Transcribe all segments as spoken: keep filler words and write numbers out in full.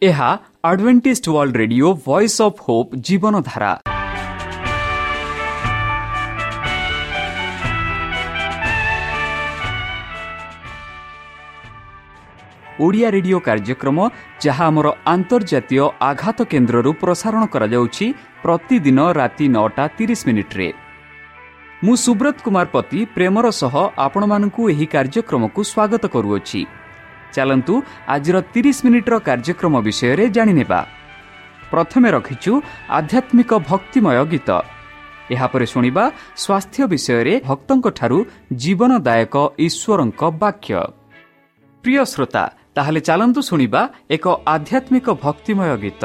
ଏହା Adventist World Radio Voice of Hope Jeevandhara. Odia radio କାର୍ଯ୍ୟକ୍ରମ ଯାହା ଆମର ଆନ୍ତର୍ଜାତୀୟ ଆଘାତ କେନ୍ଦ୍ରରୁ ପ୍ରସାରଣ କରାଯାଉଛି ପ୍ରତିଦିନ ରାତି ନଅଟା ତିରିଶ ମିନିଟ୍ରେ। ମୁଁ ସୁବ୍ରତ କୁମାର ପତି ପ୍ରେମର ସହ ଆପଣମାନଙ୍କୁ ଏହି କାର୍ଯ୍ୟକ୍ରମକୁ ସ୍ୱାଗତ କରୁଅଛି। ଚାଲନ୍ତୁ ଆଜିର ତିରିଶ ମିନିଟ୍ର କାର୍ଯ୍ୟକ୍ରମ ବିଷୟରେ ଜାଣିନେବା। ପ୍ରଥମେ ରଖିଛୁ ଆଧ୍ୟାତ୍ମିକ ଭକ୍ତିମୟ ଗୀତ, ଏହାପରେ ଶୁଣିବା ସ୍ୱାସ୍ଥ୍ୟ ବିଷୟରେ ଭକ୍ତଙ୍କଠାରୁ ଜୀବନଦାୟକ ଈଶ୍ୱରଙ୍କ ବାକ୍ୟ। ପ୍ରିୟ ଶ୍ରୋତା, ତାହେଲେ ଚାଲନ୍ତୁ ଶୁଣିବା ଏକ ଆଧ୍ୟାତ୍ମିକ ଭକ୍ତିମୟ ଗୀତ।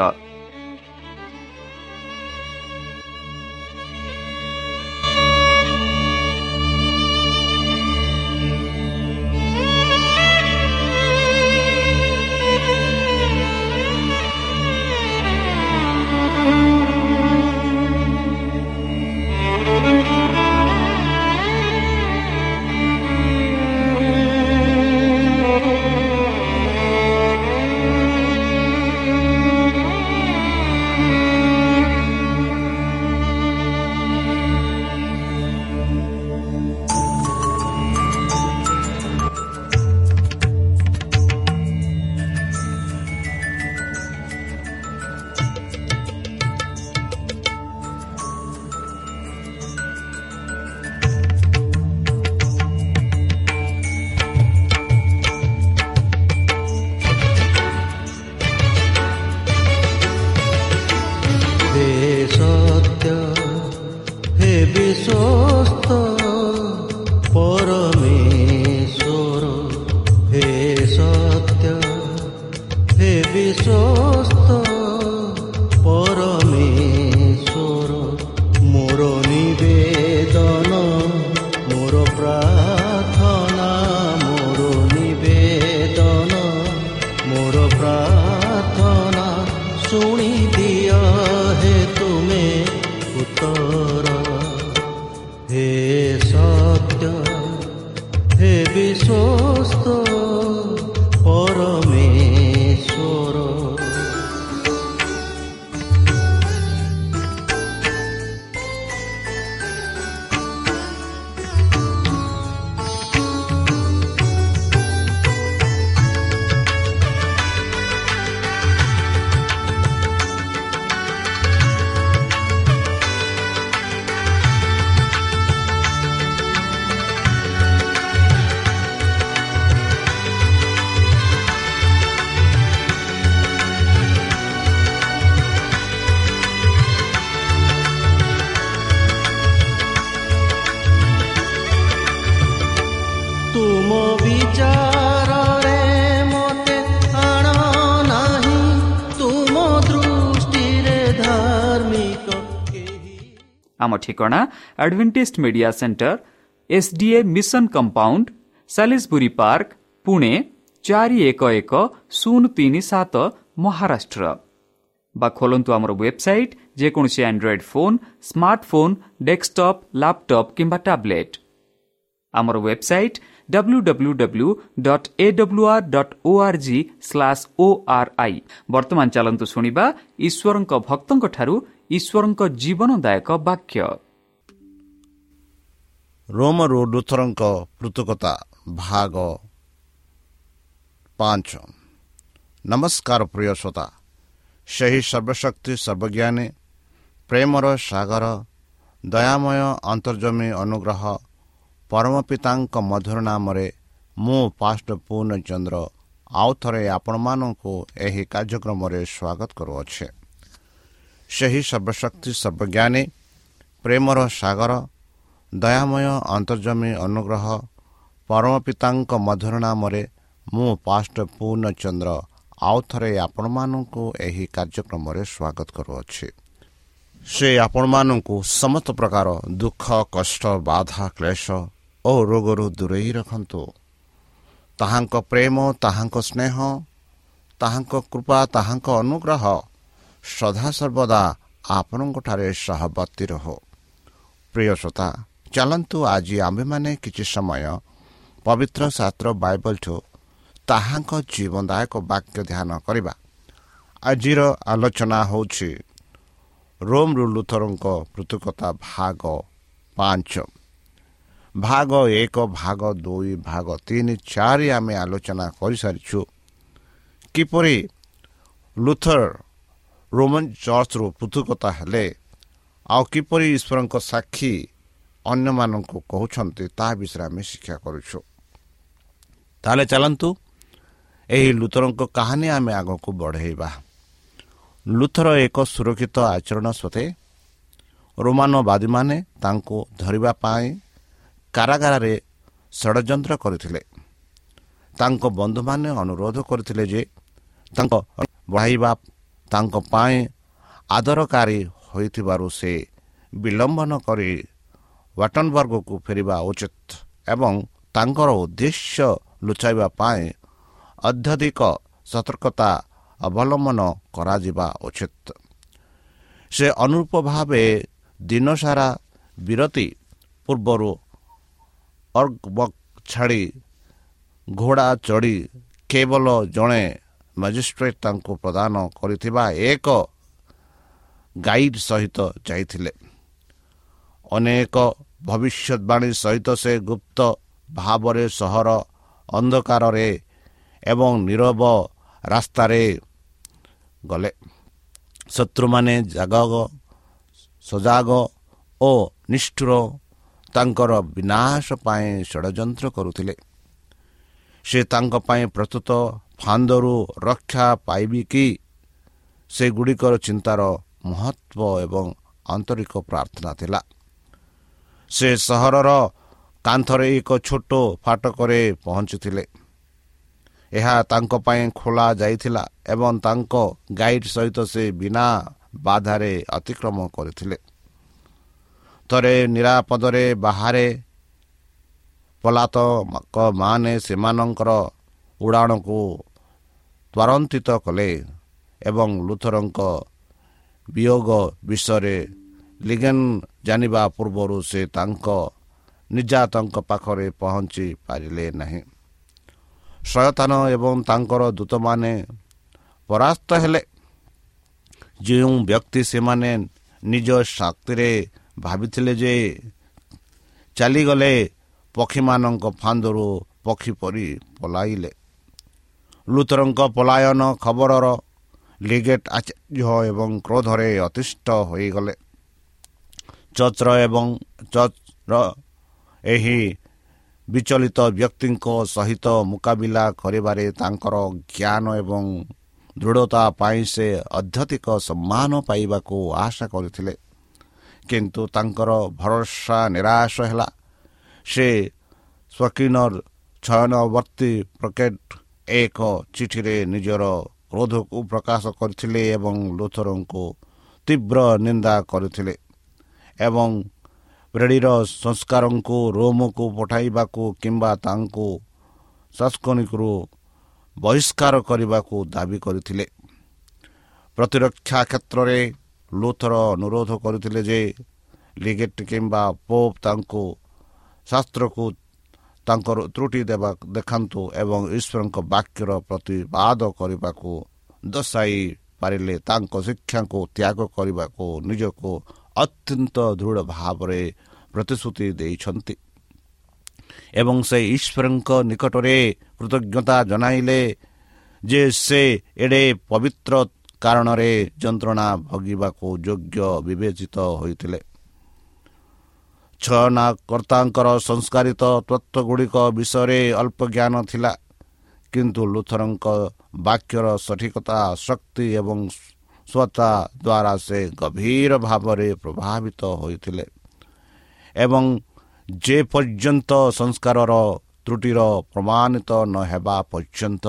ଆମ ଠିକଣା Adventist Media Centre, S D A Mission Compound, Salisbury Park, Pune ଚାରି ଏକ ଏକ ଶୂନ ତିନି ସାତ, ମହାରାଷ୍ଟ୍ର। ବା ଖୋଲନ୍ତୁ ଆମର ୱେବସାଇଟ୍ ଯେକୌଣସି Android phone, smartphone, desktop, laptop କିମ୍ବା ଟ୍ୟାବ୍ଲେଟ୍। ଆମର website W W W dot A W R dot O R G slash O R I. ବର୍ତ୍ତମାନ ଚାଲନ୍ତୁ ଶୁଣିବା ଈଶ୍ୱରଙ୍କ ଭକ୍ତଙ୍କଠାରୁ ଈଶ୍ୱରଙ୍କ ଜୀବନଦାୟକ ବାକ୍ୟ। ରୋମରୁ ଲୁଥରଙ୍କ ପୃଥକତା ଭାଗ ପାଞ୍ଚ। ନମସ୍କାର ପ୍ରିୟ ଶ୍ରୋତା, ସେହି ସର୍ବଶକ୍ତି ସର୍ବଜ୍ଞାନୀ ପ୍ରେମର ସାଗର ଦୟାମୟ ଅନ୍ତର୍ଜମୀ ଅନୁଗ୍ରହ ପରମ ପିତାଙ୍କ ମଧୁର ନାମରେ ମୁଁ ପାଷ୍ଟ ପୂର୍ଣ୍ଣଚନ୍ଦ୍ର ଆଉ ଥରେ ଆପଣମାନଙ୍କୁ ଏହି କାର୍ଯ୍ୟକ୍ରମରେ ସ୍ୱାଗତ କରୁଅଛି। ସେହି ସର୍ବଶକ୍ତି ସର୍ବଜ୍ଞାନୀ ପ୍ରେମର ସାଗର ଦୟାମୟ ଅନ୍ତର୍ଜମୀ ଅନୁଗ୍ରହ ପରମ ପିତାଙ୍କ ମଧୁର ନାମରେ ମୁଁ ପାଷ୍ଟ ପୂର୍ଣ୍ଣଚନ୍ଦ୍ର ଆଉ ଥରେ ଆପଣମାନଙ୍କୁ ଏହି କାର୍ଯ୍ୟକ୍ରମରେ ସ୍ୱାଗତ କରୁଅଛି। ସେ ଆପଣମାନଙ୍କୁ ସମସ୍ତ ପ୍ରକାର ଦୁଃଖ, କଷ୍ଟ, ବାଧା, କ୍ଲେଶ ଓ ରୋଗରୁ ଦୂରେଇ ରଖନ୍ତୁ। ତାହାଙ୍କ ପ୍ରେମ, ତାହାଙ୍କ ସ୍ନେହ, ତାହାଙ୍କ କୃପା, ତାହାଙ୍କ ଅନୁଗ୍ରହ ସଦାସର୍ବଦା ଆପଣଙ୍କଠାରେ ସହବର୍ତ୍ତୀ ରହୁ। ପ୍ରିୟ ଶ୍ରୋତା, ଚାଲନ୍ତୁ ଆଜି ଆମ୍ଭେମାନେ କିଛି ସମୟ ପବିତ୍ର ଶାସ୍ତ୍ର ବାଇବଲଠୁ ତାହାଙ୍କ ଜୀବନଦାୟକ ବାକ୍ୟ ଧ୍ୟାନ କରିବା। ଆଜିର ଆଲୋଚନା ହେଉଛି ରୋମ୍ରୁ ଲୁଥରଙ୍କ ପୃଥକତା ଭାଗ ପାଞ୍ଚ। ଭାଗ ଏକ, ଭାଗ ଦୁଇ, ଭାଗ ତିନି, ଚାରି ଆମେ ଆଲୋଚନା କରିସାରିଛୁ କିପରି ଲୁଥର ରୋମାନ ଚର୍ଚ୍ଚରୁ ପୃଥକତା ହେଲେ ଆଉ କିପରି ଈଶ୍ୱରଙ୍କ ସାକ୍ଷୀ ଅନ୍ୟମାନଙ୍କୁ କହୁଛନ୍ତି ତାହା ବିଷୟରେ ଆମେ ଶିକ୍ଷା କରୁଛୁ। ତାହେଲେ ଚାଲନ୍ତୁ ଏହି ଲୁଥରଙ୍କ କାହାଣୀ ଆମେ ଆଗକୁ ବଢ଼େଇବା। ଲୁଥର ଏକ ସୁରକ୍ଷିତ ଆଚରଣ ସତ୍ତ୍ୱେ ରୋମାନବାଦୀମାନେ ତାଙ୍କୁ ଧରିବା ପାଇଁ କାରାଗାରରେ ଷଡ଼ଯନ୍ତ୍ର କରିଥିଲେ। ତାଙ୍କ ବନ୍ଧୁମାନେ ଅନୁରୋଧ କରିଥିଲେ ଯେ ତାଙ୍କ ବଢ଼ାଇବା ତାଙ୍କ ପାଇଁ ଆଦରକାରୀ ହୋଇଥିବାରୁ ସେ ବିଳମ୍ବ କରି ୱାଟନବର୍ଗକୁ ଫେରିବା ଉଚିତ ଏବଂ ତାଙ୍କର ଉଦ୍ଦେଶ୍ୟ ଲୁଚାଇବା ପାଇଁ ଅତ୍ୟଧିକ ସତର୍କତା ଅବଲମ୍ବନ କରାଯିବା ଉଚିତ। ସେ ଅନୁରୂପ ଭାବେ ଦିନସାରା ବିରତି ପୂର୍ବରୁ ଅର୍ଗବକ୍ ଛାଡ଼ି ଘୋଡ଼ା ଚଢ଼ି କେବଳ ଜଣେ ମାଜିଷ୍ଟ୍ରେଟ୍ ତାଙ୍କୁ ପ୍ରଦାନ କରିଥିବା ଏକ ଗାଇଡ୍ ସହିତ ଯାଇଥିଲେ। ଅନେକ ଭବିଷ୍ୟତବାଣୀ ସହିତ ସେ ଗୁପ୍ତ ଭାବରେ ସହର ଅନ୍ଧକାରରେ ଏବଂ ନିରବ ରାସ୍ତାରେ ଗଲେ। ଶତ୍ରୁମାନେ ଜାଗ ସଜାଗ ଓ ନିଷ୍ଠୁର ତାଙ୍କର ବିନାଶ ପାଇଁ ଷଡ଼ଯନ୍ତ୍ର କରୁଥିଲେ। ସେ ତାଙ୍କ ପାଇଁ ପ୍ରସ୍ତୁତ ଫାନ୍ଦରୁ ରକ୍ଷା ପାଇବି କି ସେଗୁଡ଼ିକର ଚିନ୍ତାର ମହତ୍ଵ ଏବଂ ଆନ୍ତରିକ ପ୍ରାର୍ଥନା ଥିଲା। ସେ ସହରର କାନ୍ଥରେ ଏକ ଛୋଟ ଫାଟକରେ ପହଞ୍ଚିଥିଲେ। ଏହା ତାଙ୍କ ପାଇଁ ଖୋଲା ଯାଇଥିଲା ଏବଂ ତାଙ୍କ ଗାଇଡ୍ ସହିତ ସେ ବିନା ବାଧାରେ ଅତିକ୍ରମ କରିଥିଲେ। ଥରେ ନିରାପଦରେ ବାହାରେ ପଲାତକମାନେ ସେମାନଙ୍କର ଉଡ଼ାଣକୁ ତ୍ୱରାନ୍ୱିତ କଲେ ଏବଂ ଲୁଥରଙ୍କ ବିୟୋଗ ବିଷୟରେ ଲିଗେନ୍ ଜାଣିବା ପୂର୍ବରୁ ସେ ତାଙ୍କ ନିର୍ଯାତଙ୍କ ପାଖରେ ପହଞ୍ଚି ପାରିଲେ ନାହିଁ। ଶୟତାନ ଏବଂ ତାଙ୍କର ଦୂତମାନେ ପରାସ୍ତ ହେଲେ। ଯେଉଁ ବ୍ୟକ୍ତି ସେମାନେ ନିଜ ଶକ୍ତିରେ ଭାବିଥିଲେ ଯେ ଚାଲିଗଲେ, ପକ୍ଷୀମାନଙ୍କ ଫାନ୍ଦରୁ ପକ୍ଷୀ ପରି ପଲାଇଲେ। ଲୁଥରଙ୍କ ପଲାୟନ ଖବରର ଲିଗେଟ୍ ଆଶ୍ଚର୍ଯ୍ୟ ଏବଂ କ୍ରୋଧରେ ଅତିଷ୍ଠ ହୋଇଗଲେ। ଚର୍ଚ୍ଚର ଏବଂ ଚର୍ଚ୍ଚର ଏହି ବିଚଳିତ ବ୍ୟକ୍ତିଙ୍କ ସହିତ ମୁକାବିଲା କରିବାରେ ତାଙ୍କର ଜ୍ଞାନ ଏବଂ ଦୃଢ଼ତା ପାଇଁ ସେ ଅତ୍ୟଧିକ ସମ୍ମାନ ପାଇବାକୁ ଆଶା କରିଥିଲେ, କିନ୍ତୁ ତାଙ୍କର ଭରସା ନିରାଶ ହେଲା। ସେ ସ୍ୱକିନର ଛୟନବର୍ତ୍ତୀ ପ୍ରକେଟ ଏକ ଚିଠିରେ ନିଜର କ୍ରୋଧକୁ ପ୍ରକାଶ କରିଥିଲେ ଏବଂ ଲୁଥରଙ୍କୁ ତୀବ୍ର ନିନ୍ଦା କରିଥିଲେ ଏବଂ ପ୍ରେଡ଼ିର ସଂସ୍କାରଙ୍କୁ ରୋମକୁ ପଠାଇବାକୁ କିମ୍ବା ତାଙ୍କୁ ସାସ୍କନିକରୁ ବହିଷ୍କାର କରିବାକୁ ଦାବି କରିଥିଲେ। ପ୍ରତିରକ୍ଷା କ୍ଷେତ୍ରରେ ଲୁଥର ଅନୁରୋଧ କରିଥିଲେ ଯେ ଲିଗେଟ୍ କିମ୍ବା ପୋପ୍ ତାଙ୍କୁ ଶାସ୍ତ୍ରକୁ ତାଙ୍କର ତ୍ରୁଟି ଦେବା ଦେଖାନ୍ତୁ ଏବଂ ଈଶ୍ୱରଙ୍କ ବାକ୍ୟର ପ୍ରତିବାଦ କରିବାକୁ ଦର୍ଶାଇ ପାରିଲେ ତାଙ୍କ ଶିକ୍ଷାକୁ ତ୍ୟାଗ କରିବାକୁ ନିଜକୁ ଅତ୍ୟନ୍ତ ଦୃଢ଼ ଭାବରେ ପ୍ରତିଶ୍ରୁତି ଦେଇଛନ୍ତି ଏବଂ ସେ ଈଶ୍ୱରଙ୍କ ନିକଟରେ କୃତଜ୍ଞତା ଜଣାଇଲେ ଯେ ସେ ଏଡ଼େ ପବିତ୍ର କାରଣରେ ଯନ୍ତ୍ରଣା ଭୋଗିବାକୁ ଯୋଗ୍ୟ ବିବେଚିତ ହୋଇଥିଲେ। ଛୟନାକର୍ତ୍ତାଙ୍କର ସଂସ୍କାରିତ ତତ୍ତ୍ୱଗୁଡ଼ିକ ବିଷୟରେ ଅଳ୍ପ ଜ୍ଞାନ ଥିଲା, କିନ୍ତୁ ଲୁଥରଙ୍କ ବାକ୍ୟର ସଠିକତା, ଶକ୍ତି ଏବଂ ସ୍ୱତା ଦ୍ୱାରା ସେ ଗଭୀର ଭାବରେ ପ୍ରଭାବିତ ହୋଇଥିଲେ ଏବଂ ଯେପର୍ଯ୍ୟନ୍ତ ସଂସ୍କାରର ତ୍ରୁଟିର ପ୍ରମାଣିତ ନ ହେବା ପର୍ଯ୍ୟନ୍ତ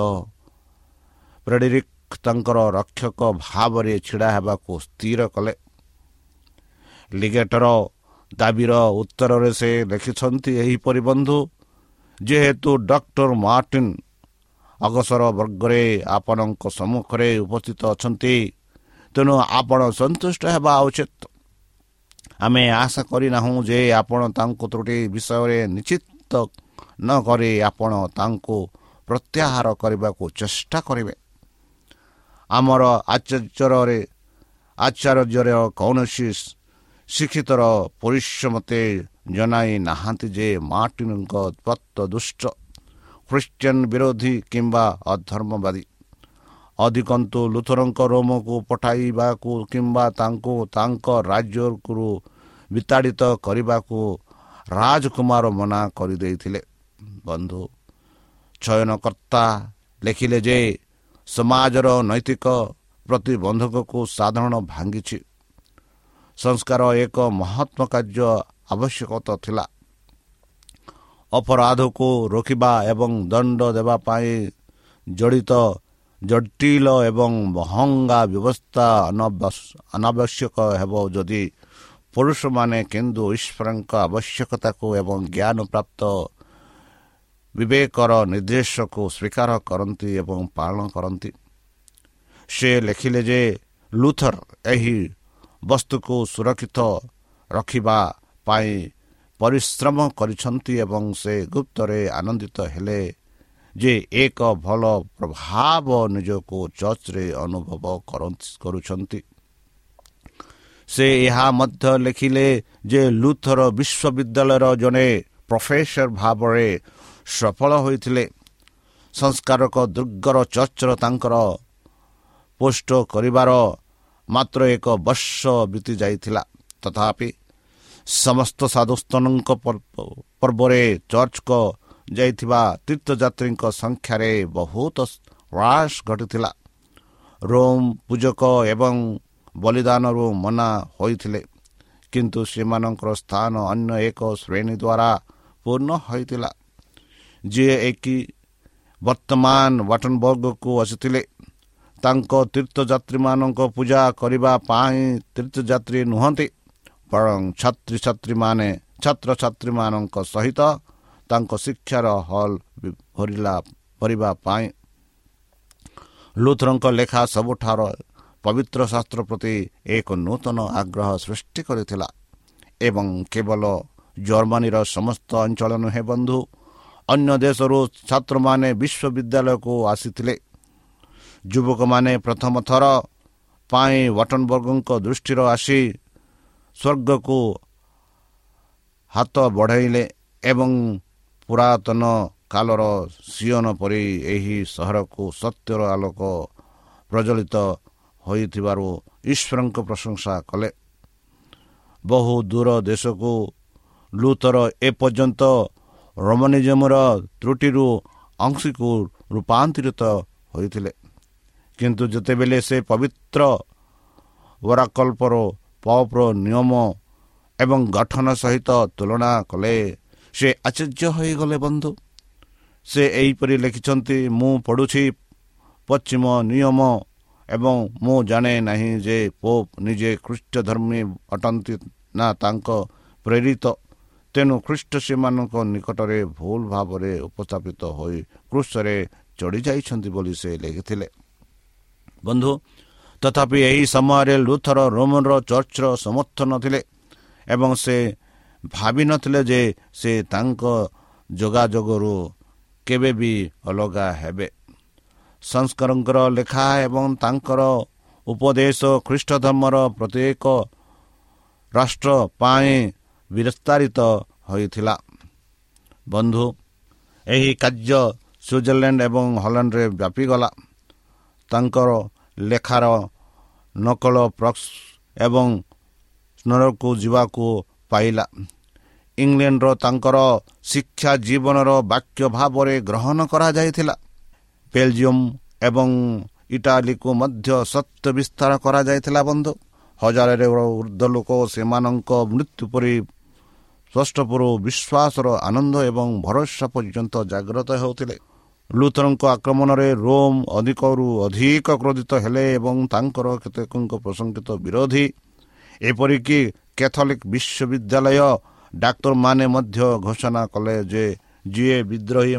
ଫ୍ରେଡେରିକ୍ ତାଙ୍କର ରକ୍ଷକ ଭାବରେ ଛିଡ଼ା ହେବାକୁ ସ୍ଥିର କଲେ। ଲିଗେଟର ଦାବିର ଉତ୍ତରରେ ସେ ଲେଖିଛନ୍ତି ଏହିପରି, ବନ୍ଧୁ, ଯେହେତୁ ଡକ୍ଟର ମାର୍ଟିନ ଅଗସର ବର୍ଗରେ ଆପଣଙ୍କ ସମ୍ମୁଖରେ ଉପସ୍ଥିତ ଅଛନ୍ତି, ତେଣୁ ଆପଣ ସନ୍ତୁଷ୍ଟ ହେବା ଉଚିତ। ଆମେ ଆଶା କରିନାହୁଁ ଯେ ଆପଣ ତାଙ୍କୁ ତ୍ରୁଟି ବିଷୟରେ ନିଶ୍ଚିତ ନ କରି ଆପଣ ତାଙ୍କୁ ପ୍ରତ୍ୟାହାର କରିବାକୁ ଚେଷ୍ଟା କରିବେ। ଆମର ଆଚାର୍ଯ୍ୟରେ ଆଚାର୍ଯ୍ୟର କୌଣସି ଶିକ୍ଷିତର ପୁରୁଷ ମୋତେ ଜଣାଇ ନାହାନ୍ତି ଯେ ମାର୍ଟିନଙ୍କ ତତ୍ତ୍ୱ ଦୁଷ୍ଟ, ଖ୍ରୀଷ୍ଟିଆନ ବିରୋଧୀ କିମ୍ବା ଅଧର୍ମବାଦୀ। ଅଧିକନ୍ତୁ ଲୁଥରଙ୍କ ରୋମକୁ ପଠାଇବାକୁ କିମ୍ବା ତାଙ୍କୁ ତାଙ୍କ ରାଜ୍ୟରୁ ବିତାଡ଼ିତ କରିବାକୁ ରାଜକୁମାର ମନା କରିଦେଇଥିଲେ। ବନ୍ଧୁ, ଚୟନକର୍ତ୍ତା ଲେଖିଲେ ଯେ ସମାଜର ନୈତିକ ପ୍ରତିବନ୍ଧକକୁ ସାଧାରଣ ଭାଙ୍ଗିଛି। ସଂସ୍କାର ଏକ ମହତ୍ଵ କାର୍ଯ୍ୟ ଆବଶ୍ୟକତା ଥିଲା। ଅପରାଧକୁ ରୋକିବା ଏବଂ ଦଣ୍ଡ ଦେବା ପାଇଁ ଜଡ଼ିତ ଜଟିଳ ଏବଂ ମହଙ୍ଗା ବ୍ୟବସ୍ଥା ଅନାବଶ୍ୟକ ହେବ ଯଦି ପୁରୁଷମାନେ କିନ୍ତୁ ଈଶ୍ୱରଙ୍କ ଆବଶ୍ୟକତାକୁ ଏବଂ ଜ୍ଞାନ ପ୍ରାପ୍ତ ବିବେକର ନିର୍ଦ୍ଦେଶକୁ ସ୍ୱୀକାର କରନ୍ତି ଏବଂ ପାଳନ କରନ୍ତି। ସେ ଲେଖିଲେ ଯେ ଲୁଥର ଏହି ବସ୍ତୁକୁ ସୁରକ୍ଷିତ ରଖିବା ପାଇଁ ପରିଶ୍ରମ କରିଛନ୍ତି ଏବଂ ସେ ଗୁପ୍ତରେ ଆନନ୍ଦିତ ହେଲେ ଯେ ଏକ ଭଲ ପ୍ରଭାବ ନିଜକୁ ଚର୍ଚ୍ଚରେ ଅନୁଭବ କରୁଛନ୍ତି। ସେ ଏହା ମଧ୍ୟ ଲେଖିଲେ ଯେ ଲୁଥର ବିଶ୍ୱବିଦ୍ୟାଳୟର ଜଣେ ପ୍ରଫେସର ଭାବରେ ସଫଳ ହୋଇଥିଲେ। ସଂସ୍କାରକ ଦୁର୍ଗର ଚର୍ଚ୍ଚର ତାଙ୍କର ପୋଷ୍ଟ କରିବାର ମାତ୍ର ଏକ ବର୍ଷ ବିତି ଯାଇଥିଲା। ତଥାପି ସମସ୍ତ ସାଧୁସ୍ଥନଙ୍କ ପର୍ବରେ ଚର୍ଚ୍ଚକୁ ଯାଇଥିବା ତୀର୍ଥଯାତ୍ରୀଙ୍କ ସଂଖ୍ୟାରେ ବହୁତ ହ୍ରାସ ଘଟିଥିଲା। ରୋମ୍ ପୂଜକ ଏବଂ ବଳିଦାନରୁ ମନା ହୋଇଥିଲେ, କିନ୍ତୁ ସେମାନଙ୍କର ସ୍ଥାନ ଅନ୍ୟ ଏକ ଶ୍ରେଣୀ ଦ୍ୱାରା ପୂର୍ଣ୍ଣ ହୋଇଥିଲା, ଯିଏ ଏକି ବର୍ତ୍ତମାନ ୱାଟନବର୍ଗକୁ ଆସିଥିଲେ। ତାଙ୍କ ତୀର୍ଥଯାତ୍ରୀମାନଙ୍କ ପୂଜା କରିବା ପାଇଁ ତୀର୍ଥଯାତ୍ରୀ ନୁହନ୍ତି, ବରଂ ଛାତ୍ରଛାତ୍ରୀମାନେ ଛାତ୍ରଛାତ୍ରୀମାନଙ୍କ ସହିତ ତାଙ୍କ ଶିକ୍ଷାର ହଲ୍ ଭରିଲା ଭରିବା ପାଇଁ। ଲୁଥରଙ୍କ ଲେଖା ସବୁଠାରୁ ପବିତ୍ର ଶାସ୍ତ୍ର ପ୍ରତି ଏକ ନୂତନ ଆଗ୍ରହ ସୃଷ୍ଟି କରିଥିଲା ଏବଂ କେବଳ ଜର୍ମାନୀର ସମସ୍ତ ଅଞ୍ଚଳ ନୁହେଁ ବନ୍ଧୁ, ଅନ୍ୟ ଦେଶରୁ ଛାତ୍ରମାନେ ବିଶ୍ୱବିଦ୍ୟାଳୟକୁ ଆସିଥିଲେ। ଯୁବକମାନେ ପ୍ରଥମ ଥର ପାଇଁ ୱାଟନବର୍ଗଙ୍କ ଦୃଷ୍ଟିର ଆସି ସ୍ୱର୍ଗକୁ ହାତ ବଢ଼ାଇଲେ ଏବଂ ପୁରାତନ କାଳର ସିୟନ ପରି ଏହି ସହରକୁ ସତ୍ୟର ଆଲୋକ ପ୍ରଜ୍ୱଳିତ ହୋଇଥିବାରୁ ଈଶ୍ୱରଙ୍କ ପ୍ରଶଂସା କଲେ। ବହୁ ଦୂର ଦେଶକୁ ଲୁଥର ଏପର୍ଯ୍ୟନ୍ତ ରୋମାନିଜମର ତ୍ରୁଟିରୁ ଅଂଶୀକୁ ରୂପାନ୍ତରିତ ହୋଇଥିଲେ, କିନ୍ତୁ ଯେତେବେଳେ ସେ ପବିତ୍ର ଓରାକଲ୍ପର ପପ୍ର ନିୟମ ଏବଂ ଗଠନ ସହିତ ତୁଳନା କଲେ, ସେ ଆଶ୍ଚର୍ଯ୍ୟ ହୋଇଗଲେ। ବନ୍ଧୁ, ସେ ଏହିପରି ଲେଖିଛନ୍ତି, ମୁଁ ପଢ଼ୁଛି ପଶ୍ଚିମ ନିୟମ ଏବଂ ମୁଁ ଜାଣେ ନାହିଁ ଯେ ପୋପ୍ ନିଜେ ଖ୍ରୀଷ୍ଟ ଧର୍ମୀ ଅଟନ୍ତି ନା ତାଙ୍କ ପ୍ରେରିତ। ତେଣୁ ଖ୍ରୀଷ୍ଟ ସେମାନଙ୍କ ନିକଟରେ ଭୁଲ ଭାବରେ ଉପସ୍ଥାପିତ ହୋଇ କ୍ରୁଶରେ ଚଢ଼ି ଯାଇଛନ୍ତି ବୋଲି ସେ ଲେଖିଥିଲେ। ବନ୍ଧୁ, ତଥାପି ଏହି ସମୟରେ ଲୁଥର ରୋମନର ଚର୍ଚ୍ଚର ସମର୍ଥନ ଥିଲେ ଏବଂ ସେ ଭାବିନଥିଲେ ଯେ ସେ ତାଙ୍କ ଯୋଗାଯୋଗରୁ କେବେ ବି ଅଲଗା ହେବେ। ସଂସ୍କରଙ୍କର ଲେଖା ଏବଂ ତାଙ୍କର ଉପଦେଶ ଖ୍ରୀଷ୍ଟ ଧର୍ମର ପ୍ରତ୍ୟେକ ରାଷ୍ଟ୍ର ପାଇଁ ବିସ୍ତାରିତ ହୋଇଥିଲା। ବନ୍ଧୁ, ଏହି କାର୍ଯ୍ୟ ସୁଇଜରଲ୍ୟାଣ୍ଡ ଏବଂ ହଲାଣ୍ଡରେ ବ୍ୟାପିଗଲା। ତାଙ୍କର ଲେଖାର ନକଲ ପ୍ରକ୍ସ ଏବଂ ସ୍ନରକୁ ଯିବାକୁ ପାଇଲା। ଇଂଲଣ୍ଡର ତାଙ୍କର ଶିକ୍ଷା ଜୀବନର ବାକ୍ୟ ଭାବରେ ଗ୍ରହଣ କରାଯାଇଥିଲା। ବେଲଜିୟମ ଏବଂ ଇଟାଲୀକୁ ମଧ୍ୟ ସତ୍ୟ ବିସ୍ତାର କରାଯାଇଥିଲା। ବନ୍ଧୁ, ହଜାରରେ ଉର୍ଦ୍ଧ୍ୱ ଲୋକ ସେମାନଙ୍କ ମୃତ୍ୟୁ ପରି ସ୍ପଷ୍ଟପରୁ ବିଶ୍ୱାସର ଆନନ୍ଦ ଏବଂ ଭରସା ପର୍ଯ୍ୟନ୍ତ ଜାଗ୍ରତ ହେଉଥିଲେ। ଲୁଥରଙ୍କ ଆକ୍ରମଣରେ ରୋମ୍ ଅଧିକରୁ ଅଧିକ କ୍ରୋଧିତ ହେଲେ ଏବଂ ତାଙ୍କର କେତେକଙ୍କ ପ୍ରଶଂସିତ ବିରୋଧୀ, ଏପରିକି କ୍ୟାଥୋଲିକ୍ ବିଶ୍ୱବିଦ୍ୟାଳୟ ଡାକ୍ତରମାନେ ମଧ୍ୟ ଘୋଷଣା କଲେ ଯେ ଯିଏ ବିଦ୍ରୋହୀ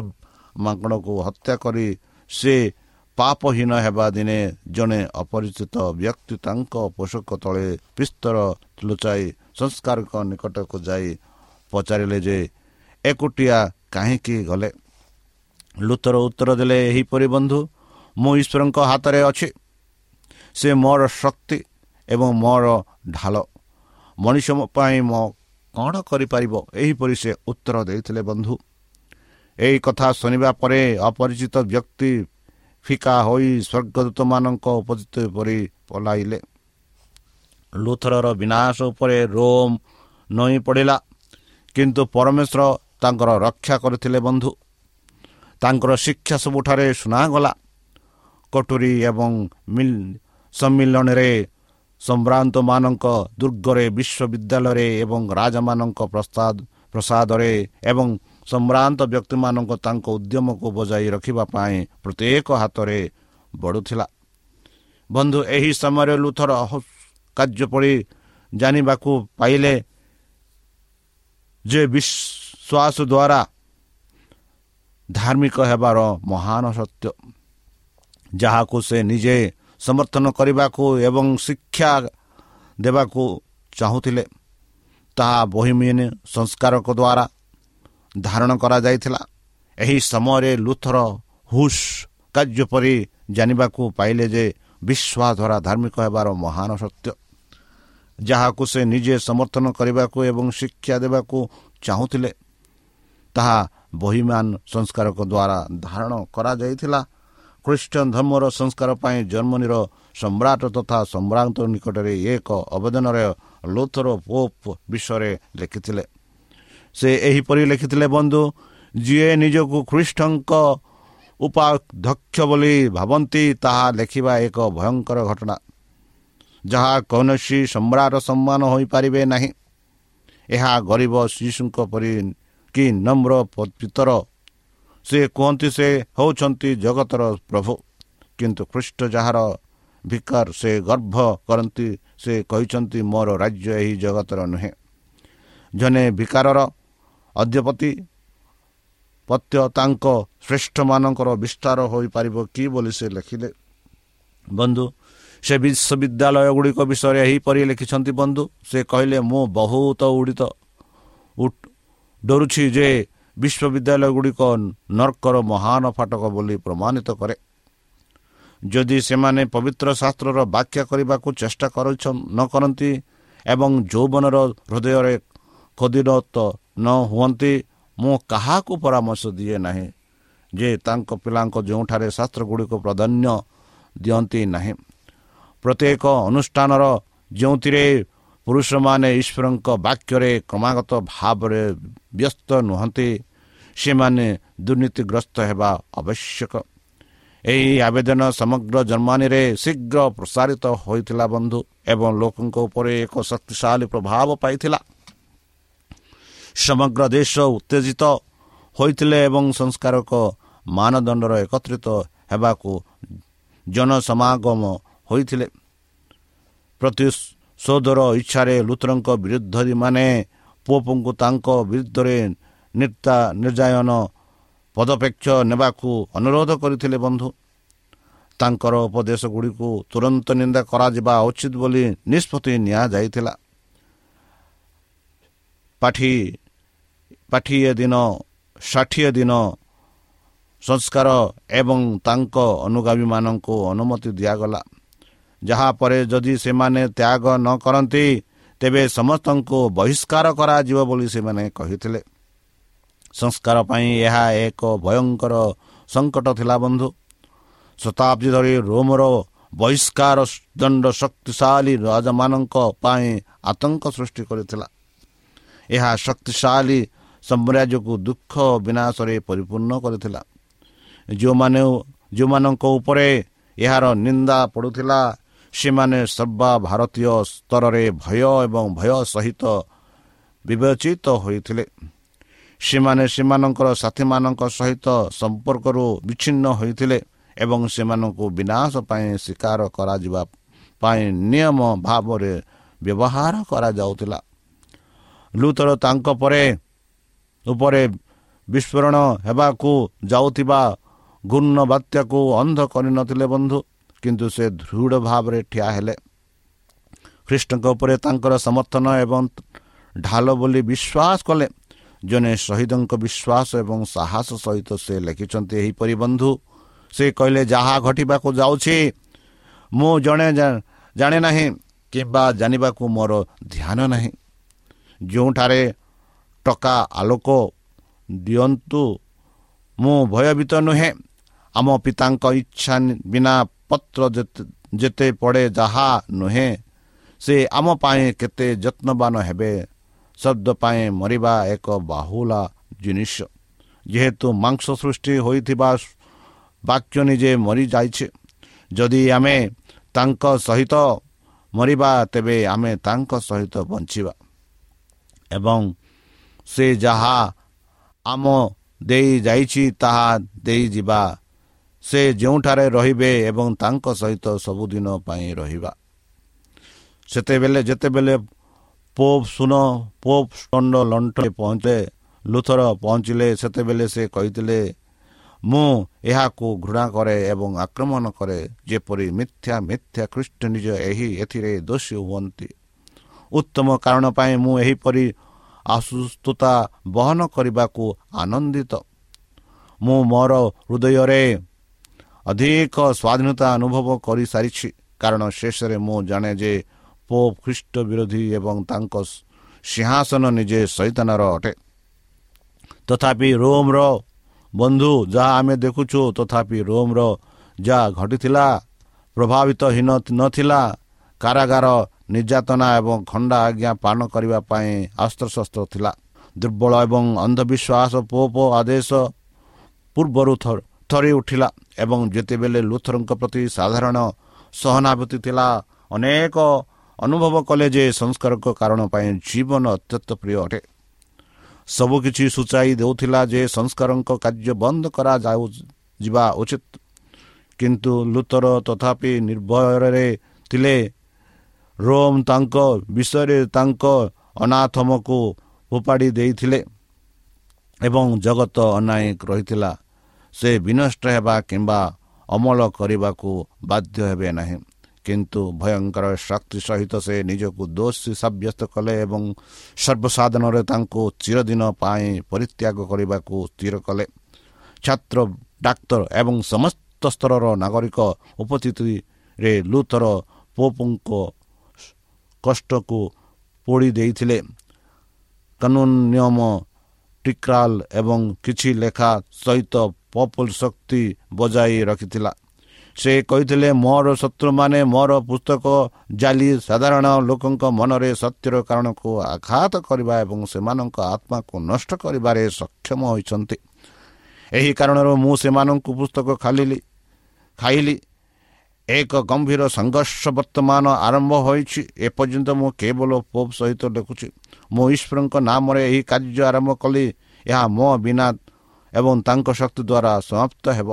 ମାଙ୍କଡ଼କୁ ହତ୍ୟା କରି ସେ ପାପହୀନ ହେବା ଦିନେ ଜଣେ ଅପରିଚିତ ବ୍ୟକ୍ତି ତାଙ୍କ ପୋଷକ ତଳେ ପିସ୍ତର ଲୁଚାଇ ସଂସ୍କାରଙ୍କ ନିକଟକୁ ଯାଇ ପଚାରିଲେ ଯେ ଏକୁଟିଆ କାହିଁକି ଗଲେ? ଲୁଥର ଉତ୍ତର ଦେଲେ ଏହିପରି, ବନ୍ଧୁ, ମୁଁ ଈଶ୍ୱରଙ୍କ ହାତରେ ଅଛି। ସେ ମୋର ଶକ୍ତି ଏବଂ ମୋର ଢାଲ, ମଣିଷ ପାଇଁ ମୋ କ'ଣ କରିପାରିବ? ଏହିପରି ସେ ଉତ୍ତର ଦେଇଥିଲେ ବନ୍ଧୁ। ଏହି କଥା ଶୁଣିବା ପରେ ଅପରିଚିତ ବ୍ୟକ୍ତି ଫିକା ହୋଇ ସ୍ୱର୍ଗଦୂତମାନଙ୍କ ଉପସ୍ଥିତ ପରି ପଲାଇଲେ। ଲୁଥରର ବିନାଶ ଉପରେ ରୋମ୍ ନଇଁ ପଡ଼ିଲା, କିନ୍ତୁ ପରମେଶ୍ୱର ତାଙ୍କର ରକ୍ଷା କରିଥିଲେ ବନ୍ଧୁ। ତାଙ୍କର ଶିକ୍ଷା ସବୁଠାରେ ଶୁଣାଗଲା। କଟୁରୀ ଏବଂ ସମ୍ମିଳନୀରେ, ସମ୍ଭ୍ରାନ୍ତମାନଙ୍କ ଦୁର୍ଗରେ, ବିଶ୍ୱବିଦ୍ୟାଳୟରେ ଏବଂ ରାଜାମାନଙ୍କ ପ୍ରସାଦ ପ୍ରସାଦରେ ଏବଂ ସମ୍ଭ୍ରାନ୍ତ ବ୍ୟକ୍ତିମାନଙ୍କ ତାଙ୍କ ଉଦ୍ୟମକୁ ବଜାଇ ରଖିବା ପାଇଁ ପ୍ରତ୍ୟେକ ହାତରେ ବଢ଼ୁଥିଲା ବନ୍ଧୁ। ଏହି ସମୟରେ ଲୁଥର କାର୍ଯ୍ୟ ପରି ଜାଣିବାକୁ ପାଇଲେ ଯେ ବିଶ୍ୱାସ ଦ୍ୱାରା ଧାର୍ମିକ ହେବାର ମହାନ ସତ୍ୟ, ଯାହାକୁ ସେ ନିଜେ ସମର୍ଥନ କରିବାକୁ ଏବଂ ଶିକ୍ଷା ଦେବାକୁ ଚାହୁଁଥିଲେ, ତାହା ବୋହିମିଆନ ସଂସ୍କାରକ ଦ୍ୱାରା ଧାରଣ କରାଯାଇଥିଲା। ଏହି ସମୟରେ ଲୁଥର ହୁସ୍ କାର୍ଯ୍ୟ ପରି ଜାଣିବାକୁ ପାଇଲେ ଯେ ବିଶ୍ୱାସ ଦ୍ୱାରା ଧାର୍ମିକ ହେବାର ମହାନ ସତ୍ୟ, ଯାହାକୁ ସେ ନିଜେ ସମର୍ଥନ କରିବାକୁ ଏବଂ ଶିକ୍ଷା ଦେବାକୁ ଚାହୁଁଥିଲେ, ତାହା ବୋହିମାନ ସଂସ୍କାରକ ଦ୍ୱାରା ଧାରଣ କରାଯାଇଥିଲା। ଖ୍ରୀଷ୍ଟିଆନ ଧର୍ମର ସଂସ୍କାର ପାଇଁ ଜର୍ମାନୀର ସମ୍ରାଟ ତଥା ସମ୍ରାଟ ନିକଟରେ ଏକ ଆବେଦନରେ ଲୁଥର ପୋପ୍ ବିଷୟରେ ଲେଖିଥିଲେ। ସେ ଏହିପରି ଲେଖିଥିଲେ ବନ୍ଧୁ, ଯିଏ ନିଜକୁ ଖ୍ରୀଷ୍ଟଙ୍କ ଉପାଧ୍ୟକ୍ଷ ବୋଲି ଭାବନ୍ତି, ତାହା ଲେଖିବା ଏକ ଭୟଙ୍କର ଘଟଣା, ଯାହା କୌଣସି ସମ୍ରାଟ ସମ୍ମାନ ହୋଇପାରିବେ ନାହିଁ। ଏହା ଗରିବ ଶିଶୁଙ୍କ ପରି କି ନମ୍ର ପିତର। ସେ କୁହନ୍ତି ସେ ହେଉଛନ୍ତି ଜଗତର ପ୍ରଭୁ, କିନ୍ତୁ ଖ୍ରୀଷ୍ଟ ଯାହାର ଭିକାର ସେ ଗର୍ଭ କରନ୍ତି। ସେ କହିଛନ୍ତି, ମୋର ରାଜ୍ୟ ଏହି ଜଗତର ନୁହେଁ। ଜଣେ ଭିକାରର ଅଧ୍ୟପତି ପତ୍ୟ ତାଙ୍କ ଶ୍ରେଷ୍ଠମାନଙ୍କର ବିସ୍ତାର ହୋଇପାରିବ କି ବୋଲି ସେ ଲେଖିଲେ ବନ୍ଧୁ। ସେ ବିଶ୍ୱବିଦ୍ୟାଳୟ ଗୁଡ଼ିକ ବିଷୟରେ ଏହିପରି ଲେଖିଛନ୍ତି ବନ୍ଧୁ। ସେ କହିଲେ, ମୁଁ ବହୁତ ଉଡ଼ିତ ଡରୁଛି ଯେ ବିଶ୍ୱବିଦ୍ୟାଳୟ ଗୁଡ଼ିକ ନର୍କର ମହାନ ଫାଟକ ବୋଲି ପ୍ରମାଣିତ କରେ। ଯଦି ସେମାନେ ପବିତ୍ର ଶାସ୍ତ୍ରର ବ୍ୟାଖ୍ୟା କରିବାକୁ ଚେଷ୍ଟା କରୁଛ ନ କରନ୍ତି ଏବଂ ଯୌବନର ହୃଦୟରେ ଖୋଦିତ ନ ହୁଅନ୍ତି, ମୁଁ କାହାକୁ ପରାମର୍ଶ ଦିଏ ନାହିଁ ଯେ ତାଙ୍କ ପିଲାଙ୍କ ଯେଉଁଠାରେ ଶାସ୍ତ୍ର ଗୁଡ଼ିକୁ ପ୍ରାଧାନ୍ୟ ଦିଅନ୍ତି ନାହିଁ। ପ୍ରତ୍ୟେକ ଅନୁଷ୍ଠାନର ଯେଉଁଥିରେ ପୁରୁଷମାନେ ଈଶ୍ୱରଙ୍କ ବାକ୍ୟରେ କ୍ରମାଗତ ଭାବରେ ବ୍ୟସ୍ତ ନୁହନ୍ତି, ସେମାନେ ଦୁର୍ନୀତିଗ୍ରସ୍ତ ହେବା ଆବଶ୍ୟକ। ଏହି ଆବେଦନ ସମଗ୍ର ଜର୍ମାନୀରେ ଶୀଘ୍ର ପ୍ରସାରିତ ହୋଇଥିଲା ବନ୍ଧୁ, ଏବଂ ଲୋକଙ୍କ ଉପରେ ଏକ ଶକ୍ତିଶାଳୀ ପ୍ରଭାବ ପାଇଥିଲା। ସମଗ୍ର ଦେଶ ଉତ୍ତେଜିତ ହୋଇଥିଲେ ଏବଂ ସଂସ୍କାରକ ମାନଦଣ୍ଡର ଏକତ୍ରିତ ହେବାକୁ ଜନସମାଗମ ହୋଇଥିଲେ। ପ୍ରତିଶୋଧର ଇଚ୍ଛାରେ ଲୁଥରଙ୍କ ବିରୁଦ୍ଧମାନେ ପୋପଙ୍କୁ ତାଙ୍କ ବିରୁଦ୍ଧରେ ନିର୍ତା ନିର୍ଯାୟନ ପଦପେକ୍ଷ ନେବାକୁ ଅନୁରୋଧ କରିଥିଲେ ବନ୍ଧୁ। ତାଙ୍କର ଉପଦେଶ ଗୁଡ଼ିକୁ ତୁରନ୍ତ ନିନ୍ଦା କରାଯିବା ଉଚିତ ବୋଲି ନିଷ୍ପତ୍ତି ନିଆଯାଇଥିଲା। ପାଠି ପାଠିଏ ଦିନ ଷାଠିଏ ଦିନ ସଂସ୍କାର ଏବଂ ତାଙ୍କ ଅନୁଗାମୀମାନଙ୍କୁ ଅନୁମତି ଦିଆଗଲା, ଯାହାପରେ ଯଦି ସେମାନେ ତ୍ୟାଗ ନ କରନ୍ତି ତେବେ ସମସ୍ତଙ୍କୁ ବହିଷ୍କାର କରାଯିବ ବୋଲି ସେମାନେ କହିଥିଲେ। ସଂସ୍କାର ପାଇଁ ଏହା ଏକ ଭୟଙ୍କର ସଙ୍କଟ ଥିଲା ବନ୍ଧୁ। ଶତାବ୍ଦୀ ଧରି ରୋମର ବହିଷ୍କାର ଦଣ୍ଡ ଶକ୍ତିଶାଳୀ ରାଜାମାନଙ୍କ ପାଇଁ ଆତଙ୍କ ସୃଷ୍ଟି କରିଥିଲା। ଏହା ଶକ୍ତିଶାଳୀ ସାମ୍ରାଜ୍ୟକୁ ଦୁଃଖ ବିନାଶରେ ପରିପୂର୍ଣ୍ଣ କରିଥିଲା। ଯେଉଁମାନେ ଯେଉଁମାନଙ୍କ ଉପରେ ଏହାର ନିନ୍ଦା ପଡ଼ୁଥିଲା, ସେମାନେ ସର୍ବଭାରତୀୟ ସ୍ତରରେ ଭୟ ଏବଂ ଭୟ ସହିତ ବିବେଚିତ ହୋଇଥିଲେ। ସେମାନେ ସେମାନଙ୍କର ସାଥୀମାନଙ୍କ ସହିତ ସମ୍ପର୍କରୁ ବିଚ୍ଛିନ୍ନ ହୋଇଥିଲେ ଏବଂ ସେମାନଙ୍କୁ ବିନାଶ ପାଇଁ ଶିକାର କରାଯିବା ପାଇଁ ନିୟମ ଭାବରେ ବ୍ୟବହାର କରାଯାଉଥିଲା। ଲୁଥର ତାଙ୍କ ପରେ ଉପରେ ବିସ୍ଫୋରଣ ହେବାକୁ ଯାଉଥିବା ଘୂର୍ଣ୍ଣ ବାତ୍ୟାକୁ ଅନ୍ଧ କରିନଥିଲେ ବନ୍ଧୁ, କିନ୍ତୁ ସେ ଦୃଢ଼ ଭାବରେ ଠିଆ ହେଲେ। ଖ୍ରୀଷ୍ଟଙ୍କ ଉପରେ ତାଙ୍କର ସମର୍ଥନ ଏବଂ ଢାଲ ବୋଲି ବିଶ୍ୱାସ କଲେ। ଜଣେ ଶହୀଦଙ୍କ ବିଶ୍ୱାସ ଏବଂ ସାହସ ସହିତ ସେ ଲେଖିଛନ୍ତି ଏହିପରି ବନ୍ଧୁ। ସେ କହିଲେ, ଯାହା ଘଟିବାକୁ ଯାଉଛି ମୁଁ ଜଣେ ଜାଣେ ନାହିଁ କିମ୍ବା ଜାଣିବାକୁ ମୋର ଧ୍ୟାନ ନାହିଁ। ଯେଉଁଠାରେ ଟକା ଆଲୋକ ଦିଅନ୍ତୁ, ମୁଁ ଭୟଭୀତ ନୁହେଁ। ଆମ ପିତାଙ୍କ ଇଚ୍ଛା ବିନା ପତ୍ର ଯେତେ ପଡ଼େ ଯାହା ନୁହେଁ, ସେ ଆମ ପାଇଁ କେତେ ଯତ୍ନବାନ ହେବେ। ଶବ୍ଦ ପାଇଁ ମରିବା ଏକ ବାହୁଲା ଜିନିଷ। ଯେହେତୁ ମାଂସ ସୃଷ୍ଟି ହୋଇଥିବା ବାକ୍ୟ ନିଜେ ମରିଯାଇଛି, ଯଦି ଆମେ ତାଙ୍କ ସହିତ ମରିବା ତେବେ ଆମେ ତାଙ୍କ ସହିତ ବଞ୍ଚିବା। ଏବଂ ସେ ଯାହା ଆମ ଦେଇ ଯାଇଛି ତାହା ଦେଇଯିବା। ସେ ଯେଉଁଠାରେ ରହିବେ ଏବଂ ତାଙ୍କ ସହିତ ସବୁଦିନ ପାଇଁ ରହିବା। ସେତେବେଳେ ଯେତେବେଳେ ପୋପ୍ ସୁନ ପୋପ୍ ଷ୍ଟଣ୍ଡ ଲଣ୍ଠରେ ପହଞ୍ଚେ ଲୁଥର ପହଞ୍ଚିଲେ, ସେତେବେଳେ ସେ କହିଥିଲେ, ମୁଁ ଏହାକୁ ଘୃଣା କରେ ଏବଂ ଆକ୍ରମଣ କରେ, ଯେପରି ମିଥ୍ୟା ମିଥ୍ୟା ଖ୍ରୀଷ୍ଟ ନିଜ ଏହି ଏଥିରେ ଦୋଷୀ ହୁଅନ୍ତି। ଉତ୍ତମ କାରଣ ପାଇଁ ମୁଁ ଏହିପରି ଅସୁସ୍ଥତା ବହନ କରିବାକୁ ଆନନ୍ଦିତ। ମୁଁ ମୋର ହୃଦୟରେ ଅଧିକ ସ୍ୱାଧୀନତା ଅନୁଭବ କରିସାରିଛି, କାରଣ ଶେଷରେ ମୁଁ ଜାଣେ ଯେ ପୋପ୍ ଖ୍ରୀଷ୍ଟ ବିରୋଧୀ ଏବଂ ତାଙ୍କ ସିଂହାସନ ନିଜେ ସୈତାନର ଅଟେ। ତଥାପି ରୋମର ବନ୍ଧୁ ଯାହା ଆମେ ଦେଖୁଛୁ, ତଥାପି ରୋମର ଯାହା ଘଟିଥିଲା ପ୍ରଭାବିତ ହୀନ ନଥିଲା। କାରାଗାର, ନିର୍ଯାତନା ଏବଂ ଖଣ୍ଡା ଆଜ୍ଞା ପାଳନ କରିବା ପାଇଁ ଅସ୍ତ୍ରଶସ୍ତ୍ର ଥିଲା। ଦୁର୍ବଳ ଏବଂ ଅନ୍ଧବିଶ୍ୱାସ ପୋପ ଆଦେଶ ପୂର୍ବରୁ ଥରି ଉଠିଲା ଏବଂ ଯେତେବେଳେ ଲୁଥରଙ୍କ ପ୍ରତି ସାଧାରଣ ସହାନୁଭୂତି ଥିଲା, ଅନେକ ଅନୁଭବ କଲେ ଯେ ସଂସ୍କାରକ କାରଣ ପାଇଁ ଜୀବନ ଅତ୍ୟନ୍ତ ପ୍ରିୟ ଅଟେ। ସବୁକିଛି ସୂଚାଇ ଦେଉଥିଲା ଯେ ସଂସ୍କାରଙ୍କ କାର୍ଯ୍ୟ ବନ୍ଦ କରାଯାଉ ଯିବା ଉଚିତ, କିନ୍ତୁ ଲୁଥର ତଥାପି ନିର୍ଭୟରେ ଥିଲେ। ରୋମ୍ ତାଙ୍କ ବିଷୟରେ ତାଙ୍କ ଅନାଥମକୁ ଫୋପାଡ଼ି ଦେଇଥିଲେ ଏବଂ ଜଗତ ଅନାଇ ରହିଥିଲା। ସେ ବିନଷ୍ଟ ହେବା କିମ୍ବା ଅମଳ କରିବାକୁ ବାଧ୍ୟ ହେବେ ନାହିଁ, କିନ୍ତୁ ଭୟଙ୍କର ଶକ୍ତି ସହିତ ସେ ନିଜକୁ ଦୋଷୀ ସାବ୍ୟସ୍ତ କଲେ ଏବଂ ସର୍ବସାଧାରଣରେ ତାଙ୍କୁ ଚିରଦିନ ପାଇଁ ପରିତ୍ୟାଗ କରିବାକୁ ସ୍ଥିର କଲେ। ଛାତ୍ର, ଡାକ୍ତର ଏବଂ ସମସ୍ତ ସ୍ତରର ନାଗରିକ ଉପସ୍ଥିତିରେ ଲୁଥର ପୋପଙ୍କ କଷ୍ଟକୁ ପୋଡ଼ି ଦେଇଥିଲେ। କାନୁନ, ନିୟମ, ଟିକ୍ରାଲ ଏବଂ କିଛି ଲେଖା ସହିତ ପୋପଲ ଶକ୍ତି ବଜାଇ ରଖିଥିଲା। ସେ କହିଥିଲେ, ମୋର ଶତ୍ରୁମାନେ ମୋର ପୁସ୍ତକ ଜାଲି ସାଧାରଣ ଲୋକଙ୍କ ମନରେ ସତ୍ୟର କାରଣକୁ ଆଘାତ କରିବା ଏବଂ ସେମାନଙ୍କ ଆତ୍ମାକୁ ନଷ୍ଟ କରିବାରେ ସକ୍ଷମ ହୋଇଛନ୍ତି। ଏହି କାରଣରୁ ମୁଁ ସେମାନଙ୍କୁ ପୁସ୍ତକ ଖାଲିଲି ଖାଇଲି। ଏକ ଗମ୍ଭୀର ସଂଘର୍ଷ ବର୍ତ୍ତମାନ ଆରମ୍ଭ ହୋଇଛି। ଏପର୍ଯ୍ୟନ୍ତ ମୁଁ କେବଳ ପୋପ୍ ସହିତ ଲେଖୁଛି। ମୁଁ ଈଶ୍ୱରଙ୍କ ନାମରେ ଏହି କାର୍ଯ୍ୟ ଆରମ୍ଭ କଲି। ଏହା ମୋ ବିନା ଏବଂ ତାଙ୍କ ଶକ୍ତି ଦ୍ୱାରା ସମାପ୍ତ ହେବ।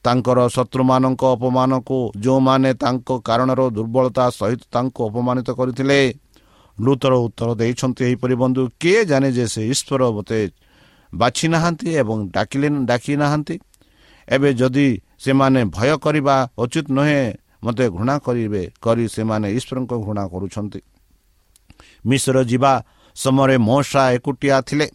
ତାଙ୍କର ଶତ୍ରୁମାନଙ୍କ ଅପମାନକୁ, ଯେଉଁମାନେ ତାଙ୍କ କାରଣର ଦୁର୍ବଳତା ସହିତ ତାଙ୍କୁ ଅପମାନିତ କରିଥିଲେ, ଲୁଥର ଉତ୍ତର ଦେଇଛନ୍ତି ଏହିପରି, ବନ୍ଧୁ, କିଏ ଜାଣେ ଯେ ସେ ଈଶ୍ୱର ମୋତେ ବାଛି ନାହାନ୍ତି ଏବଂ ଡାକିଲେ ଡାକି ନାହାନ୍ତି। ଏବେ ଯଦି ସେମାନେ ଭୟ କରିବା ଉଚିତ ନୁହେଁ, ମୋତେ ଘୃଣା କରିବେ କରି ସେମାନେ ଈଶ୍ୱରଙ୍କ ଘୃଣା କରୁଛନ୍ତି। ମିଶ୍ର ଯିବା ସମୟରେ ମୋଶା ଏକୁଟିଆ ଥିଲେ।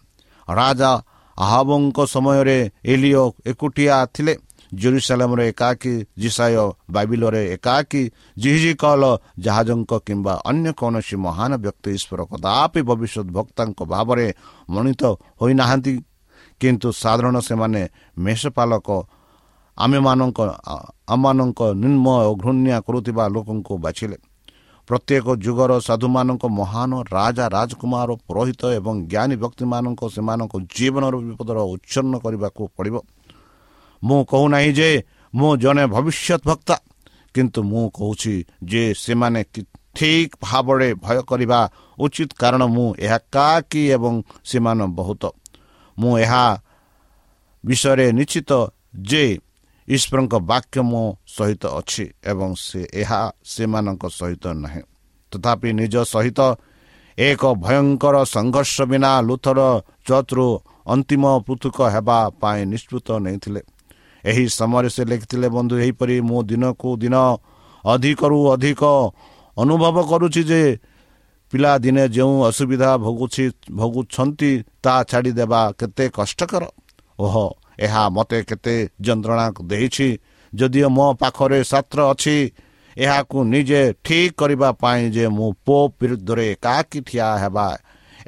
ରାଜା ଆହାବଙ୍କ ସମୟରେ ଏଲିଓ ଏକୁଟିଆ ଥିଲେ। ଜେରୁସାଲେମରେ ଏକାକୀ ଯିଶାଇୟ, ବାବିଲରେ ଏକାକୀ ଯିହିଜିକଲ, ଜାହାଜଙ୍କ କିମ୍ବା ଅନ୍ୟ କୌଣସି ମହାନ ବ୍ୟକ୍ତି ଈଶ୍ୱର କଦାପି ଭବିଷ୍ୟତ ଭକ୍ତାଙ୍କ ଭାବରେ ମନୋନୀତ ହୋଇନାହାନ୍ତି। କିନ୍ତୁ ସାଧାରଣ ସେମାନେ ମେଷପାଲକ, ଆମେମାନଙ୍କ ଆମମାନଙ୍କ ନିମ୍ନ ଓ ଘୃଣ୍ୟା କରୁଥିବା ଲୋକଙ୍କୁ ବାଛିଲେ। ପ୍ରତ୍ୟେକ ଯୁଗର ସାଧୁମାନଙ୍କ ମହାନ ରାଜା, ରାଜକୁମାର, ପୁରୋହିତ ଏବଂ ଜ୍ଞାନୀ ବ୍ୟକ୍ତିମାନଙ୍କ ସେମାନଙ୍କ ଜୀବନର ବିପଦର ଉଚ୍ଛନ୍ନ କରିବାକୁ ପଡ଼ିବ। ମୁଁ କହୁନାହିଁ ଯେ ମୁଁ ଜଣେ ଭବିଷ୍ୟତ ବକ୍ତା, କିନ୍ତୁ ମୁଁ କହୁଛି ଯେ ସେମାନେ ଠିକ୍ ଭାବରେ ଭୟ କରିବା ଉଚିତ, କାରଣ ମୁଁ ଏକାକୀ ଏବଂ ସେମାନେ ବହୁତ। ମୁଁ ଏହା ବିଷୟରେ ନିଶ୍ଚିତ ଯେ ଈଶ୍ୱରଙ୍କ ବାକ୍ୟ ମୋ ସହିତ ଅଛି ଏବଂ ସେ ଏହା ସେମାନଙ୍କ ସହିତ ନାହିଁ। ତଥାପି ନିଜ ସହିତ ଏକ ଭୟଙ୍କର ସଂଘର୍ଷ ବିନା ଲୁଥର ଚର୍ଚ୍ଚରୁ ଅନ୍ତିମ ପୃଥକ ହେବା ପାଇଁ ନିଷ୍ପତ୍ତି ନେଇଥିଲେ। ଏହି ସମୟରେ ସେ ଲେଖିଥିଲେ, ବନ୍ଧୁ, ଏହିପରି ମୁଁ ଦିନକୁ ଦିନ ଅଧିକରୁ ଅଧିକ ଅନୁଭବ କରୁଛି ଯେ ପିଲାଦିନେ ଯେଉଁ ଅସୁବିଧା ଭୋଗୁଛି ଭୋଗୁଛନ୍ତି ତାହା ଛାଡ଼ିଦେବା କେତେ କଷ୍ଟକର। ଓହୋ, ଏହା ମୋତେ କେତେ ଯନ୍ତ୍ରଣା ଦେଇଛି। ଯଦିଓ ମୋ ପାଖରେ ଶାସ୍ତ୍ର ଅଛି ଏହାକୁ ନିଜେ ଠିକ୍ କରିବା ପାଇଁ ଯେ ମୁଁ ପୋପ୍ ବିରୁଦ୍ଧରେ ଏକାକୀ ଠିଆ ହେବା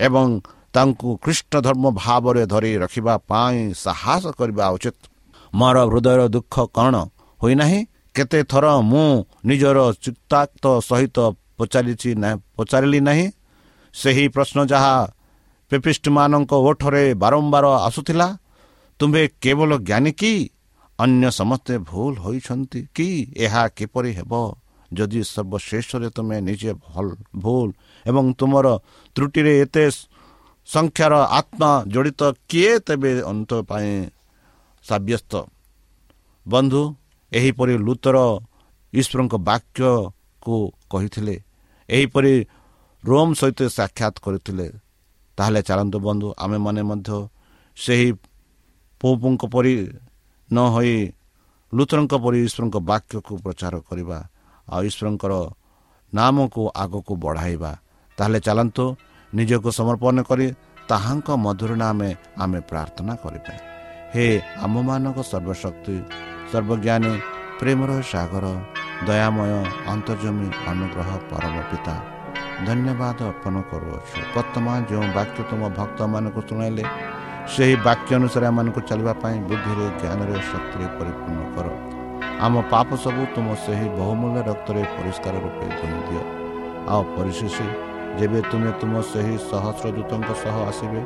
ଏବଂ ତାଙ୍କୁ ଖ୍ରୀଷ୍ଟ ଧର୍ମ ଭାବରେ ଧରି ରଖିବା ପାଇଁ ସାହସ କରିବା ଉଚିତ। ମୋର ହୃଦୟର ଦୁଃଖ କ'ଣ ହୋଇନାହିଁ? କେତେ ଥର ମୁଁ ନିଜର ଚିତ୍ତାକ୍ତ ସହିତ ପଚାରିଛି ପଚାରିଲି ନାହିଁ ସେହି ପ୍ରଶ୍ନ ଯାହା ପେପିଷ୍ଟମାନଙ୍କ ଓଠରେ ବାରମ୍ବାର ଆସୁଥିଲା, ତୁମ୍ଭେ କେବଳ ଜ୍ଞାନୀ କି? ଅନ୍ୟ ସମସ୍ତେ ଭୁଲ ହୋଇଛନ୍ତି କି? ଏହା କିପରି ହେବ ଯଦି ସର୍ବଶେଷରେ ତୁମେ ନିଜେ ଭୁଲ ଏବଂ ତୁମର ତ୍ରୁଟିରେ ଏତେ ସଂଖ୍ୟାର ଆତ୍ମା ଜଡ଼ିତ? କିଏ ତେବେ ଅନ୍ତ ପାଇଁ ସାବ୍ୟସ୍ତ? ବନ୍ଧୁ, ଏହିପରି ଲୁତର ଈଶ୍ୱରଙ୍କ ବାକ୍ୟକୁ କହିଥିଲେ, ଏହିପରି ରୋମ୍ ସହିତ ସାକ୍ଷାତ କରିଥିଲେ। ତାହେଲେ ଚାଲନ୍ତୁ ବନ୍ଧୁ, ଆମେମାନେ ମଧ୍ୟ ସେହି ପୋପଙ୍କ ପରି ନ ହୋଇ ଲୁଥରଙ୍କ ପରି ଈଶ୍ୱରଙ୍କ ବାକ୍ୟକୁ ପ୍ରଚାର କରିବା ଆଉ ଈଶ୍ୱରଙ୍କର ନାମକୁ ଆଗକୁ ବଢ଼ାଇବା। ତାହେଲେ ଚାଲନ୍ତୁ ନିଜକୁ ସମର୍ପଣ କରି ତାହାଙ୍କ ମଧୁର ନାମେ ଆମେ ପ୍ରାର୍ଥନା କରିବା। ହେ ଆମମାନଙ୍କ ସର୍ବଶକ୍ତି, ସର୍ବଜ୍ଞାନୀ, ପ୍ରେମର ସାଗର, ଦୟାମୟ, ଅନ୍ତର୍ଜମୀ, ଅନୁଗ୍ରହ ପରମ ପିତା, ଧନ୍ୟବାଦ ଅର୍ପଣ କରୁଅଛୁ। ବର୍ତ୍ତମାନ ଯେଉଁ ବାକ୍ୟ ତୁମ ଭକ୍ତମାନଙ୍କୁ ଶୁଣାଇଲେ, ସେହି ବାକ୍ୟ ଅନୁସାରେ ଆମମାନଙ୍କୁ ଚାଲିବା ପାଇଁ ବୁଦ୍ଧିରେ, ଜ୍ଞାନରେ, ଶକ୍ତିରେ ପରିପୂର୍ଣ୍ଣ କର। ଆମ ପାପ ସବୁ ତୁମ ସେହି ବହୁମୂଲ୍ୟ ରକ୍ତରେ ପରିଷ୍କାର ରୂପେ ଧୋଇ ଦିଅ। ଆଉ ପରିଶେଷ ଯେବେ ତୁମେ ତୁମ ସେହି ସହସ୍ର ଦୂତଙ୍କ ସହ ଆସିବେ,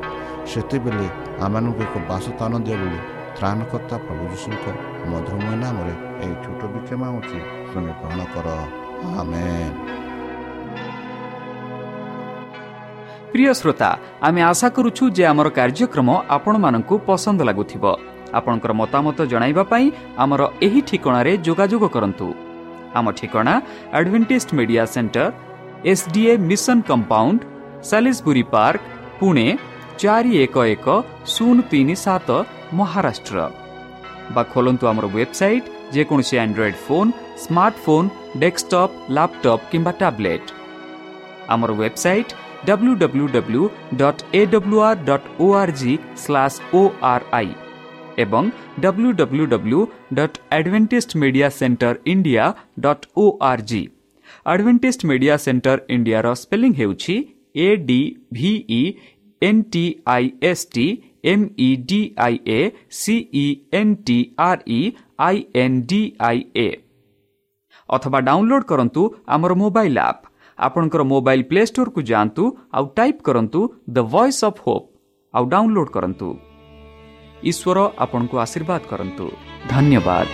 ସେତେବେଳେ ଆମମାନଙ୍କୁ ଏକ ବାସସ୍ଥାନ ଦିଅ ବୋଲି ତ୍ରାଣକର୍ତ୍ତା ପ୍ରଭୁ ଯୀଶୁଙ୍କ ମଧୁରମୟ ନାମରେ ଏହି ଛୋଟ ବିକ୍ଷମା ଅଛି, ତୁମେ ଗ୍ରହଣ କର। ଆମେନ୍। ପ୍ରିୟ ଶ୍ରୋତା, ଆମେ ଆଶା କରୁଛୁ ଯେ ଆମର କାର୍ଯ୍ୟକ୍ରମ ଆପଣମାନଙ୍କୁ ପସନ୍ଦ ଲାଗୁଥିବ। ଆପଣଙ୍କର ମତାମତ ଜଣାଇବା ପାଇଁ ଆମର ଏହି ଠିକଣାରେ ଯୋଗାଯୋଗ କରନ୍ତୁ। ଆମ ଠିକଣା Adventist Media Centre, S D A Mission Compound, Salisbury Park, Pune ଚାରି ଏକ ଏକ ଶୂନ ତିନି ସାତ, ମହାରାଷ୍ଟ୍ର। ବା ଖୋଲନ୍ତୁ ଆମର ୱେବସାଇଟ୍ ଯେକୌଣସି Android phone, smartphone, desktop, laptop କିମ୍ବା ଟ୍ୟାବ୍ଲେଟ୍। ଆମର website W W W dot A W R dot O R G slash O R I ଏବଂ W W W dot Adventist Media Centre India dot O R G. Adventist Media Centre ଇଣ୍ଡିଆର spelling ହେଉଛି A D V E N T I S T M E D I A C E N T R E I N D I A. ଅଥବା download କରନ୍ତୁ ଆମର mobile app. ଆପଣଙ୍କର mobile play ଷ୍ଟୋରକୁ ଯାଆନ୍ତୁ ଆଉ type କରନ୍ତୁ ଦ voice of Hope ଆଉ download କରନ୍ତୁ। ଈଶ୍ୱର ଆପଣଙ୍କୁ ଆଶୀର୍ବାଦ କରନ୍ତୁ। ଧନ୍ୟବାଦ।